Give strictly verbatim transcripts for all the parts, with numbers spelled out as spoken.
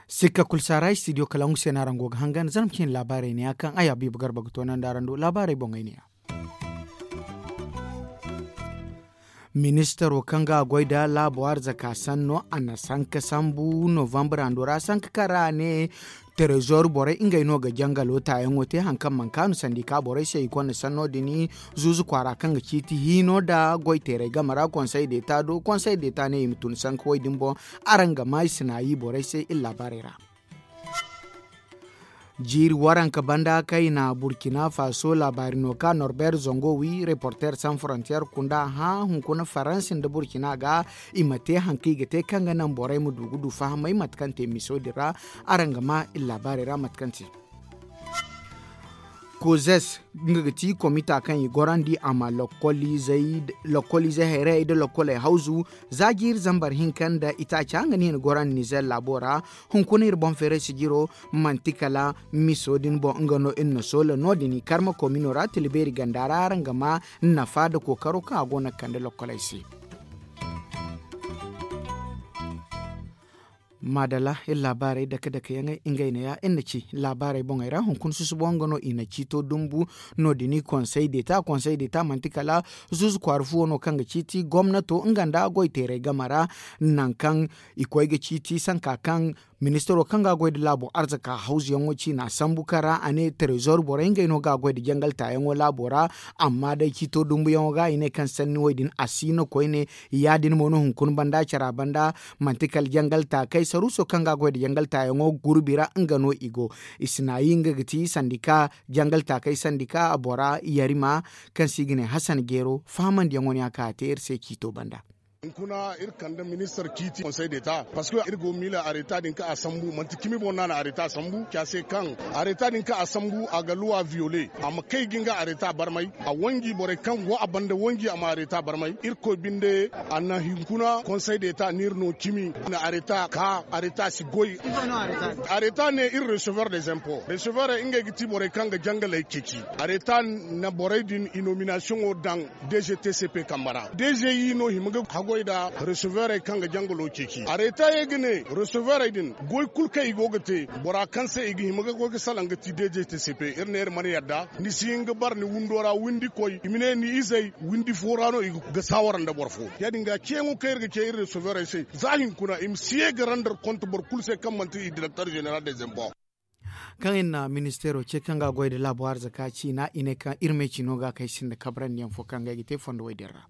Sikka kulu saara istidiyo kalaŋ gu se no araŋ go ga hangan zarma cine laabaarey ne ya kaŋ ay habiibu garba ga toonandi araŋ do laabaarey boŋey ne ya. Ministaro kaŋ ga a goy nda laabo arzaka sanno a na sanka sambu novambar hando ra sanka kaŋ ra a ne, terezoor borey ngey no ga jangalo taayaŋo te hari kaŋ mana kaanu sandika borey se i konda sanno din zuuzu kwaara kaŋ ga ciiti hiino nda goy teeray game ra konsey deeta do konsey deeta ne i ma tun sanka wo- din boŋ. Araŋ ga maa i sinaayi borey se iri laabaarey ra. Jiiri waranka banda kaŋ i na burkina faso laabaari no ka norbert zongo wi reporter sans frontier kunda hã hunkuna faransi nda burkina ga i ma te hari kaŋ i ga te kaŋ ga naŋ borey ma du ga du fahamay mate kaŋ te miso din ra. Araŋ ga maa iri laabaarey ra mate kaŋ te. Kozes nga ga ti komita kaŋ i gorandi a ma lokoliizey hayray nda lokoley hawzu za jiiri zambar hinka nda itaaca nga no i na gorandi nizer laabo ra. Hunkuna iri boŋ feeray sijiro manti kala miso din boŋ nga no iri na soola no- din i karma komino ra tila beeri ganda ra araŋ ga ma nafa nda kookaro kaŋ a go no ga kande lokoley se. Maadalla iri laabaarey dake dake yaŋey ngey neeya iri na ci laabaarey boŋey ra hunkuna susubo nga no i na ciito dumbu. No- din i konsey deeta konsey deeta manti kala zuuzu kwaara fuwo no kaŋ ga ciiti gomnato nga nda goy teeray game ra. Nangu kaŋ i koy ga ciiti sanka kaŋ ministaro kaŋ ga a goy nda laabo arzaka hawzuyaŋo ciina sambu kaŋ ra a ne terezoor borey ngey no ga a goy nda jangal taayaŋo laabo ra. Amma day ciito dumbuyaŋo ga i ne kaŋ sanni wo- din a si no koyne. Ya- din mo no hunkuna banda cara banda manti kala jangal taakey saruuso kaŋ ga a goy nda jangal taayaŋo gurbi ra nga no i go. I si naayi nga ga ti sandika jangal taakey sandika bora yarima kaŋ se i ga ne hasan jeero fahamandiyaŋo no ya kaŋ a te iri se ciito banda. Hunkuna iri kande ministar ciiti konsey deta parceque iri go ga miila areta din kaŋ a sambu manti cimi boŋ no a na areta sambu ci a se kaŋ areta din kaŋ a sambu a ga luwa viyole a ma kay ga nga areta barmay. A wanji borey kaŋ go a banda wanji a ma areta barmay irkoy binde. A na hunkuna konsey deta no iri no cimi na areta ka areta si goy. Areta ne iri recevoir de zempo recevoir ngey ga ti borey kaŋ ga jangaley ceeci. Areta na borey din i nominasiyoŋo daŋ dg tcp kambe ra dg i no hima ga haggoy nda receveurey kaŋ ga jangalo ceeci areta ye ga ne receveurey din goy kulu kaŋ i go ga te bora kaŋ se i ga hima ga goy ga salaŋ ga ti dg tcp iri ne iri mana yadda ni si hin ga bara ni windo ra windi koy i ma ne ni izey windi fo ra no i ga saawara nda boro fo ya- din ga ceeyaŋo kaŋ iri ga ce iri receveurey se za hinkuna i ma si ye ga randar konte boro kulu se kaŋ manti i direkter zeneral de zempo. Kaŋ iri na ministeero ce kaŋ ga a goy nda laabo arzaka ciina i ne kaŋ iri me cino ga kaŋ ay sinda kabrandi yaŋ fo kaŋ ga ay ga te fondo way din ra.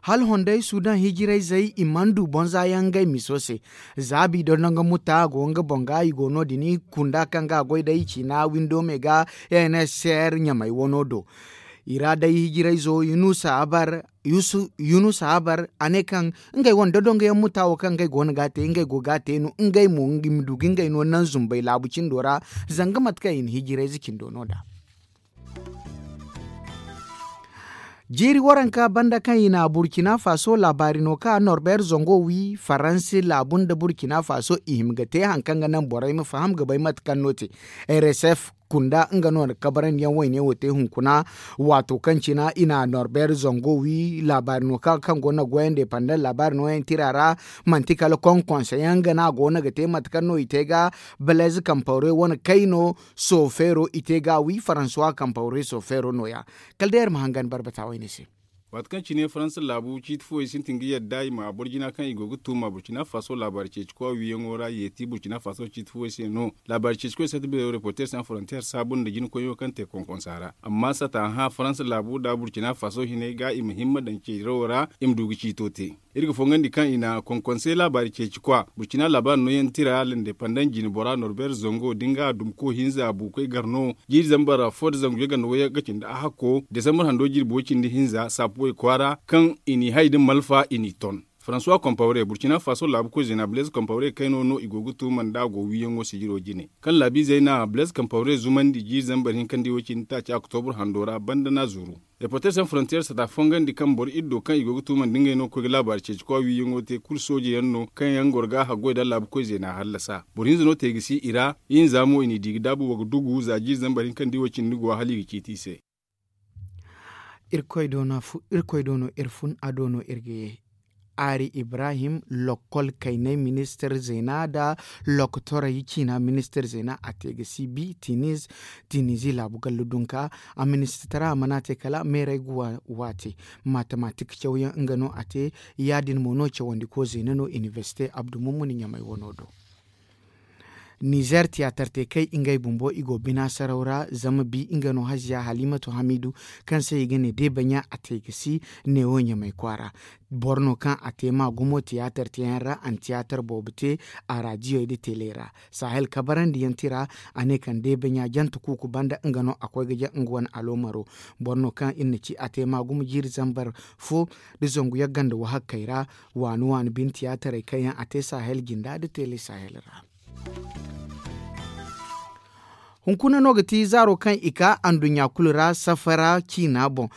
Hala honday sudan hijirayzey i mana du bonza yaŋ ngey miso se. Za bido no nga muta go nga boŋ ga i go no- din kunda kaŋ ga a goy day ciina windo me ga nsr ɲamay wano do. I ra day hijirayzo yunusa habar a ne kaŋ ngey wane dodongo yaŋ muta wo kaŋ ngey go no ga a te ngey go ga a te no ngey mo i ma du ga ngey no naŋ zumbay laabu cindo ra. Zanga mate kaŋ i na hijirayze cindo no nd'a. Jiiri waranka banda kaŋ i na burkina faso laabaari no ka norbert zongo wi faransi laabu nda burkina faso i hima ga te hari kaŋ ga naŋ borey ma faham ga bay mate kaŋ no te. Rsf kunda nga no na kabarandiyaŋ wayne wo te hunkuna. Waato kaŋ cina i na norbert zongo wi laabaari no kaŋ go no ga goy independent laabaari nooyaŋ tira ra. Manti kala konkonse yaŋ ga no a go no ga te mate kaŋ no i te ga balez kampawre wane kayno sofeero i te ga a wi faransuwa kampawre sofeero nooya. Kala day iri ma hangan barbata wayne se. Waati kaŋ cine faransa laabu ciiti fooyaŋ sintin ga yadda i ma boro jina kaŋ i go ga tuuma burkina faso laabaari ceeci koy wiiyaŋo ra yeeti burkina faso ciiti fooyaŋ se no. Laabaari ceeci koy sata beero reporter sans frontier saabu nda jina koyyaŋo kaŋ te konkonsa ra amma sata hã faransa laabu nda burkina faso hinay ga i ma himma daŋ ceerawo ra i ma du ga ciito te. Iri ga fongandi kaŋ i na konkonsey laabaari ceeci kwa burkina laabaari nooyaŋ tira lindepandant jine bora norbert zongo da nga dumko hinza buukoy gar no. Jiiri zambar fo nda zangu yaganda wayyaŋ ga cindi a hakko desambar hando jirbi way cindi hinza saapu way kwaara kaŋ i n'i hay da malfa i n'i ton. Faransuwa kompawre burkina faso laabu koy zeena blaise kompawre kayno no i go ga tuuma nd'a go wiiyaŋo sijiro jine kaŋ laabiizey na blaise kompawre zumandi jiiri zambar hinka nda i wo cindi taaci oktobur hando ra banda n'a zuru. Reporter sans frontier sata fongandi kaŋ boro iddo kaŋ i go ga tuuma nda ngey no ga koy ga laabaari ceeci kwa wiiyaŋo te kulu sooje yaŋ no kaŋ yaŋ goro ga haggoy nda laabu koy zeena hallasa boro hinza no te ga si i ra. Ihinza mo i n'i di ga daabu wa ga dugu za jiiri zambar hinka nda i wo cindi go hala i ga ciiti i se. Irkoy do no iri fun a do no iri ga ye. Aari ibrahim lokkol kaynay ministir zeena nda lokotorey ciina ministir zeena a te ga si bi tinizi laabu gallu dunka. A ministitara mana te kala meerey ga waate. Matematik cawyaŋ nga no a te. Ya- din mo no cawandiko zeena no inibersite abdu mummuni ɲamay wano do. Nizer tiyaatar te kay ngey bumbo i go bina saraw ra zama bi nga no haziya halimatu hamidu kaŋ se i ga ne deebaɲa a te ga si. Neewo ɲamay kwaara boro no kaŋ a te ma gumo tiyaatar teyaŋ ra a na tiyaatar boobo te. A raadiyey nda tele ra sahel kabarandiyaŋ tira. A ne kaŋ deebaɲa jante kuuku banda nga no a koy ga jaŋ nga wane aloomaro. Boro no kaŋ iri na ci a te ma gumo jiiri zambar fo nda zangu yagganda wahakkey ra. Waani waani bine tiyaatarey kaŋ yaŋ a te sahel jinda nda tele sahel ra. Hunkuna no ga ti zaaro kaŋ i ka anduɲɲa kulu ra safara ciina boŋ.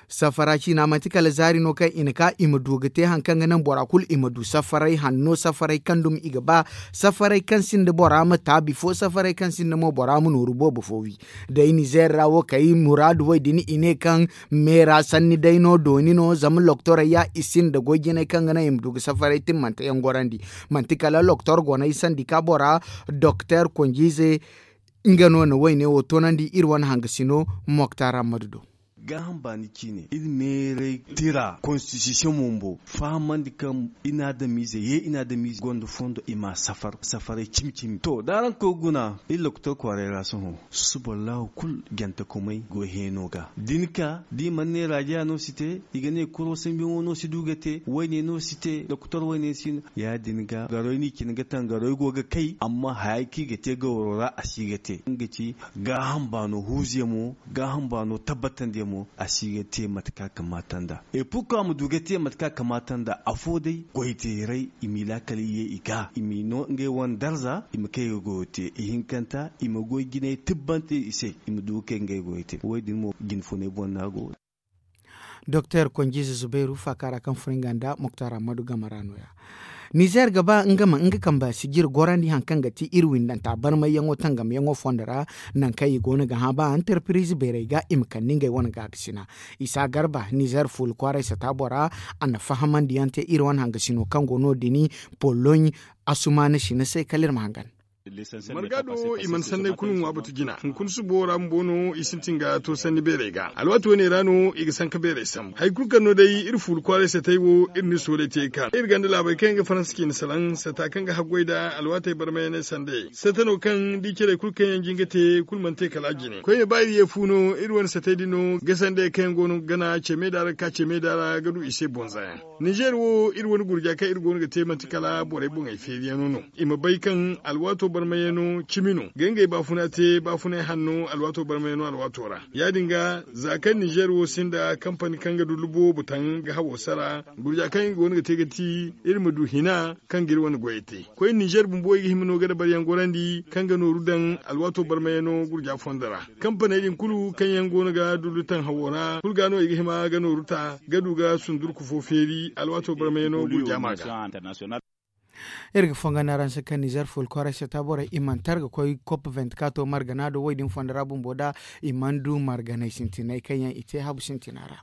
Safara ciina manti kala zaari no kaŋ i na ka i ma du ga te hari kaŋ ga naŋ bora kulu i ma du safaray hanno safaray kaŋ dumi i ga ba. Safaray kaŋ sinda bora ma taabi fo safaray kaŋ sinda mo bora ma nooru boobo fo wi. Day nizeer ra wo kay muraadu wo din i ne kaŋ meera sanni day no dooni no zama loktorey ya i sinda goy jinay kaŋ ga naŋ i ma du ga safaray timmante yaŋ gorandi. Manti kala loktor gonay sandika bora doktor konjiize. Nga no na wayne wo toonandi iri wane hangasino moktar ammadu do. Gaaham baani ciine iri meeray tira konstitisiyoŋ bumbo fahamandi kaŋ inaadamiize ye inaadamiize gonda fondo i ma safar safaray cimi cimi to da araŋ koy ga guna iri lokotor kwaaray ra sohõ. Suba laahu kulu jantakumay go heeno ga da ni ka da i mana ne raajiya no si te i ga ne kuro sambiyaŋo no si du ga te wayne no si te lokotor wayne si no. Ya- din ga garoy no i cine ga taŋ garoy go ga kay amma haya kaŋ i ga te gawaro ra a si ga te nga ci gaaham baano huuzuyaŋ mo gaaham baano tabbatandi yaŋ mo a si ga te mate kaŋ a kamaata nd'a. Et pourquoi a ma du ga te mate kaŋ a kamaata nd'a afo day goy teeray i m'i laakal i ye i ga i m'i no ngey wane darza i ma kay ga goyo te ihinkanta i ma goy jinay tibbante i se i ma du ga kay ngey goyo te wo- din mo jine funay boŋ no a go. Doktor konjiize zubairu faaka ra kaŋ furo nga nda moktar ammadu game ra no- ya. Nizeer ga ba nga ma nga kamba sijir gorandi hari kaŋ ga ti iri windanta barmayyaŋo tangamyaŋo fondo ra. Nangu kaŋ i go no ga hã ba antarpiriize beerey ga i ma kande ngey wane gaakasina. Isa garba nizeer fuula kwaaray sata bora a na fahamandi yaŋ te iri wane hangasino kaŋ go no- din poloɲ asumaana sina se kala iri ma hangan. Marga do i mana sanney kulu ŋwa batu jina hunkuna subo ra bumbo no i sintin ga to sanni beerey ga alwaati wane ra no i ga sanka beerey sambu hari kulu kaŋ no day iri fuula kwaaray satey wo iri na iri sooley te ga ka iri ganda laabey kaŋ yaŋ ga faransa ciine salaŋ sata kaŋ ga haggoy nd'a alwaatey barmayaney sandayey sata no kaŋ da i carey kulu kaŋ yaŋ jin ga te kulu mana te kala a jine koyne ba iri ye fu no iri wane satey din no ga sandayey kaŋ yaŋ go no ga gana ce meeda ra ga ka ce meeda ra ga du i se bonza yaŋ. Nizeer wo iri wane gurja kaŋ iri go no ga te manti kala borey boŋey feeriyaŋo no i ma bay kaŋ alwaato barmayano cimi no ga ngey baafuna te baafunay hanno alwaato barmayano alwaato ra. Ya- din ga za kaŋ nizeer wo sinda kampani kaŋ ga dullu boobo taŋ ga hawo sara gurja kaŋ i go no ga te ga ti iri ma du hina kaŋ ga iri wane goyey te koy nizeer bumbo i ga hima no ga dabaryaŋ gorandi kaŋ ga nooru daŋ alwaato barmayano gurja fondo ra. Kampaney din kulu kaŋ yaŋ go no ga dullu taŋ hawo ra kulu ga no i ga hima ga nooru ta ga du ga sundurku fo feeri alwaato barmayano gurja ma ga. Iri ga fonga na ranse kaŋ nizer fuula kwaray sata borey i mana tar ga koy kop venti kato margana do wo- din fondo ra bumbo da i mana du marganey sintiney kaŋ yaŋ i te habu sintina ra.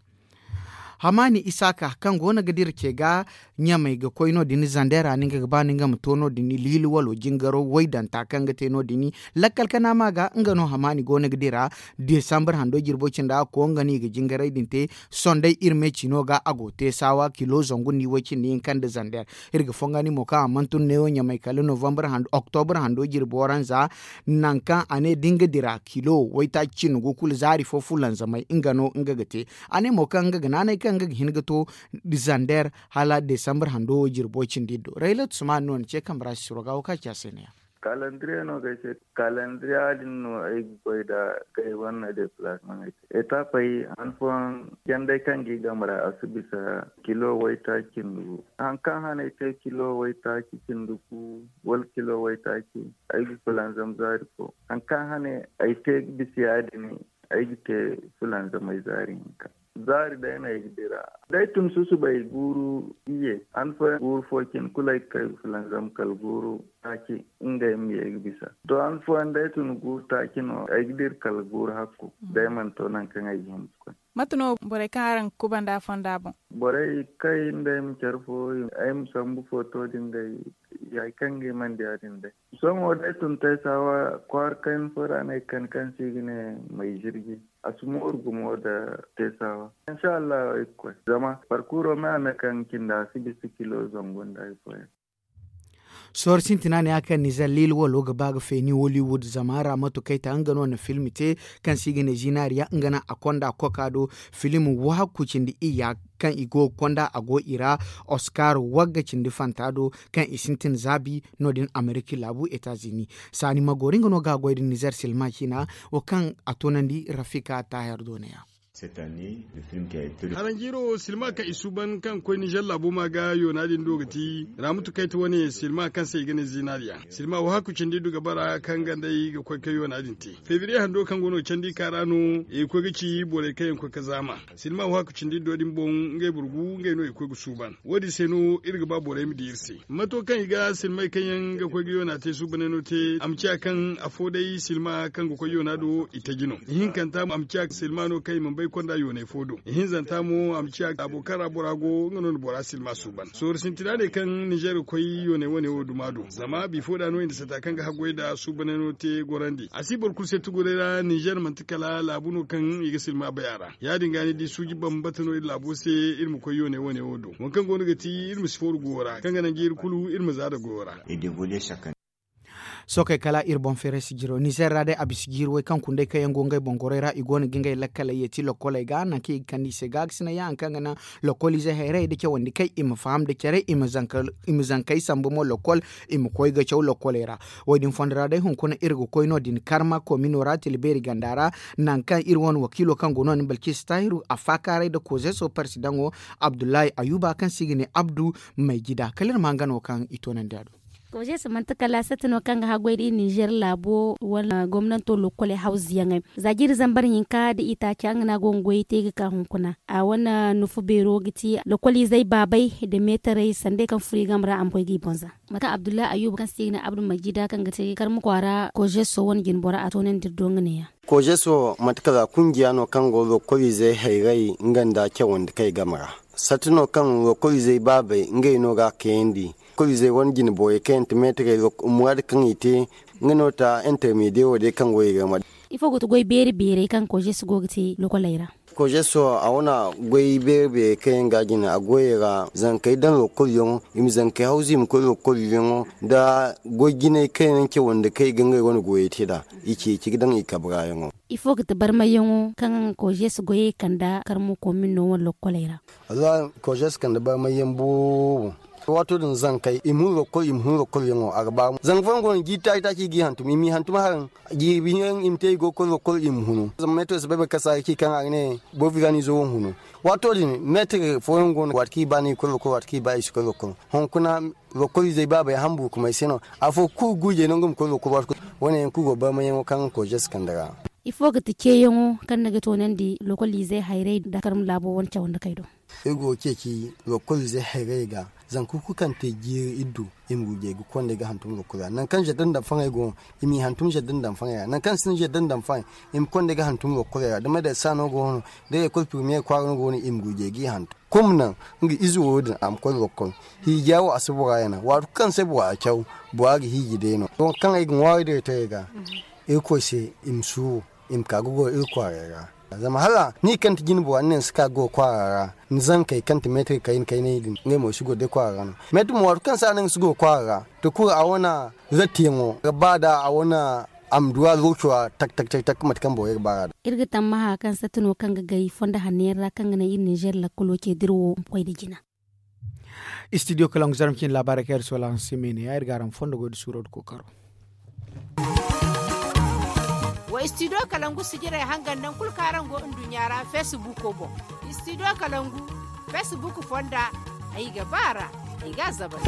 Hamaani isaaka kaŋ go no ga dira ce ga ɲamey ga koy no- din zandera no nga ga ba no nga ma to no- din liili walo jingaro waydanta kaŋ ga te no- din lakkal kana ma ga nga no hamaani go no ga dira. Desambar hando jirbo cinda a koy nga no i ga jingaray din te. Sonday iri me cino ga a go te saawa kilo zangu nda i way cindi hinka nda zander. Iri ga fonga ni mo kaŋ a mana tun neewo ɲamay kala novambar hando oktobur hando jirbo waranza. Nangu kaŋ a ne da nga dira kilo waytaaci cindi gu kulu zaari fo fulanzamay nga no nga ga te. A ne mo kaŋ nga ga naanay kaŋ nga ga hin ga to zander hala desambar hando wo jirbo cindi do raylat suman no na ce kambe ra si suro ga wo kaŋ a ci a se ne ya. Kalandiriye no ga ay se. Kalandiriya din no ay ga goy nd'a. Kay wane deplacement ay te etapey han fooyaŋ. Jandey kaŋ ga i game ra a si bisa kilo waytaaci cindi gu. Hari kaŋ hane ay te kilo waytaaci cindi gu wala kilo waytaaci, ay ga fulanzam zaari fo. Hari kaŋ hane ay te ga bisa ya- din, ay ga te fulanzamey zaari hinka. Zaari day no ay ga dira. Da ay tun susubay guuru iyye, han fooyaŋ guuru fo cine kulu ay ga kay fulanzam kala guuru taaci. Ngey ma ye ga bisa to han fooyaŋ da ay tun guuru taaci no ay ga dira kala guuru hakku. Da ay mana to nangu kaŋ ay ga hima ga koy. Mate no borey kaŋ araŋ ga kubanda fonda boŋ? Borey kay nda ay ma care fo, ay ma sambu foto din day. Hari kaŋ ga ay mana di ya- din day. Sohõ da ay tun taysaawa kwaara kayna fo ra no ay ga kande kaŋ se i ga ne may zirji. A si mooru gumo nda teesawa. Insa allahu ay ga koy zama parkuro me a me kaŋ ga cindi a si bisa kilo zangu nda hari fooyaŋ. Sohõ sintina ne ya kaŋ nizer lil walo ga ba ga feeni hollywood zama ra matu kayta nga no na film te kaŋ se i ga ne zinariya nga no a konda koka do. Film wahakku cindi iyya kaŋ i go ga konda a go i ra. Oscar wagga cindi fanta do kaŋ i sintin zaabi no- din ameriki laabu etazini. Saani ma gori nga no ga a goy da nizer silma ciina wo kaŋ a toonandi rafika taahir doona ya. Haranjiiro silma kaŋ i suuban kaŋ ga koy nizer laabo ma ga yoona din do ga ti ramutu kayta wane silma kaŋ se i ga ne zinariya. Silma wo hakku cindi du ga bara kaŋ ganda i ga koy ga yoona din te. Febriye hando kaŋ go no candi ka ra no i ga koy ga ci borey kaŋ yaŋ ga koy ga zaama. Silma wo hakku cindi do din boŋ ngey burgu ngey no i ga koy ga suuban. Wo- din se no iri ga ba borey ma di iri se mato kaŋ i ga silmay kaŋ yaŋ ga koy ga yoona te suubanay no te a ma ciya kaŋ afo day silma kaŋ ga koy yoona do i taji no. Ihinkanta a ma ciya silma no kaŋ i mana bay konda yoonay fo do. Ihinzanta mo a ma ciya laabo kaŋ ra bora go nga no na bora silma suuban. Sooru sintina ne kaŋ nizer ga koy yoonay wane wo duma do zama bifo da no i na sata kaŋ ga haggoy nda suubanay no te gorandi a si boro kulu se tuguray ra nizer manti kala laabu no kaŋ i ga silma bay a ra. Ya- din ga ni di suuji bambata no iri laabo se iri ma koy yoone wane wo do waŋ kaŋ go no ga ti iri ma si fooru goyo ra kaŋ ga naŋ ga iri kulu iri ma za nda goyo ra. Sookey kala iri boŋ feeray si jiro nizer ra day a bisa jiiri way kaŋ kundey kaŋ yaŋ go ngey boŋ gorey ra i go no ga ngey lakkaley yeeti lokoley ga nangu kaŋ i ga kande i se gaagasinay ya hari kaŋ ga naŋ lokoliizey hayrayey nda cawandi kay i ma faham nda care i ma zankey sambu mo lokol i ma koy ga caw lokoley ra. Wo- din fondo ra day hunkuna iri ga koy no- din karma komino ra tila beeri ganda ra nangu kaŋ iri wane wakiilo kaŋ go no- din balkis tahiru a faakaaray nda kozeso parsidaŋo abdullahi ayuba kaŋ se i ga ne abdu maijida kala iri ma hangano kaŋ i toonandi a do. Kozeso manti kala satti no kaŋ ga haggoy nda iri nizer laabo wala gomnanto lokoley hawzuyaŋey za jiiri zambar hinka nda itaaca nga no a go ga goyey te ga ka hunkuna a wane nufu beero ga ti lokoliizey baabey nda meetarey sandey kaŋ furo i game ra a ma koy ga i boŋ za. Mate kaŋ abdullahi ayuba kaŋ se i ga ne abdu majida kaŋ ga te karma kwaara kozeso wane jinbora a toonandi iri do nga ne- ya. Kozeso mate kala kungiya no kaŋ go lokoliizey hayray nga nda cawandi kay game ra. Satti no kaŋ lokoliizey baabey ngey no ga a kayandi. Lokoliizey wane jinborey kaŋ yaŋ ti meetarey muraadu kaŋ i te nga no ta intermediye wo day kaŋ go i game ra. Ifo ga ti goy beeri beerey kaŋ kozeso go ga te lokoley ra? Kozeso a wane goy beeri beeri kaŋ yaŋ ga a jine a goyey ra zankey daŋ lokol yaŋo i ma zankey hawzu i ma koy lokol yaŋo nda goy jinay kaŋ yaŋ cawandi kaŋ i ga ngey wane goyey te nd'a i ceeci ga daŋ i kabra yaŋo. Ifo ga ti barmayyaŋo kaŋ kozeso goyey kande karmo komin no wane lokoley ra? Wallahi kozeso kande barmayyaŋ boobo. Waato din zankey i ma hun lokol i ma hun lokol yaŋo a ga ba zanga fooyaŋ go no jiiri taaci taaci i g'i hantum i m'i hantum haraŋ. Jiiri biyaŋ i ma te i go ga koy lokol i ma hunu zama meeto si bay boro kaŋ si a ga ci kaŋ a ga ne boro filaaniizo wo ma hunu. Waato din meetar fooyaŋ go no waati kaŋ i ba no i ga koy lokol waati kaŋ i ba i si koy lokol. Hunkuna lokoliizey baabey hamburkumay se no afo kulu guujey no nga ma koy lokol waati kulu. Wane yaŋ kulu go barmayaŋo kaŋ kozeso kande ra. Ifo ga ti ceeyaŋo kaŋ ni ga toonandi lokoliizey hayray nda karma laabo wane cawandikey do? Iri go ga ceeci lokoliizey hayray ga zanka kulu kaŋ te jiiri iddu i ma gurjay ga konda ga hantum lokol ra nangu kaŋ zeddan daŋ faŋay go i m'i hantum zeddan daŋ faŋay ra nangu kaŋ sinda zeddan daŋ faŋay i ma konda ga hantum lokol ra da madar sa no go no da lekol pirmiyeer kwaara no go no i ma gurjay g'i hantum. Kumna nga ize wo din a ma koy lokol hiija wo a si bora yana waati kulu kaŋ se bora caw bora ga hiiji day no wo kaŋ ay ga ŋwaari day taray ga. Irkoy se i ma suuru i ma ka ga goro iri kwaaray ra. Zama hala ni kaŋ ti jine bora ni ne ni si ka ga goro kwaara ra ni zankey kaŋ ti meetir kayna kaynay din ngey mo i si goro day kwaara ra no. Meetir mo waati kaŋ se a ne nga si goro kwaara ra to kulu a wane zattiyaŋo ga ba da a wane a ma du a looco ra tak tak tak tak mate kaŋ borey ga ba ra da. Iri ga tammaha kaŋ satta no kaŋ ga gay fondo hanno yaŋ ra kaŋ ga naŋ iri ninzeer lakkalo ce da iri wo ma koy nda jina. Studio kalaŋ zarma cine laabaarey kaŋ iri soola araŋ se me ne ya iri ga araŋ fondo goy nda suuro nda kookaro. Wa istidiyo kalangu sijirey hangan naŋ kulu kaŋ araŋ go nduɲɲa ra feesibuuko boŋ. Istidiyo kalangu feesibuuk fonda, ay ga ba a ra, ay ga a zabar.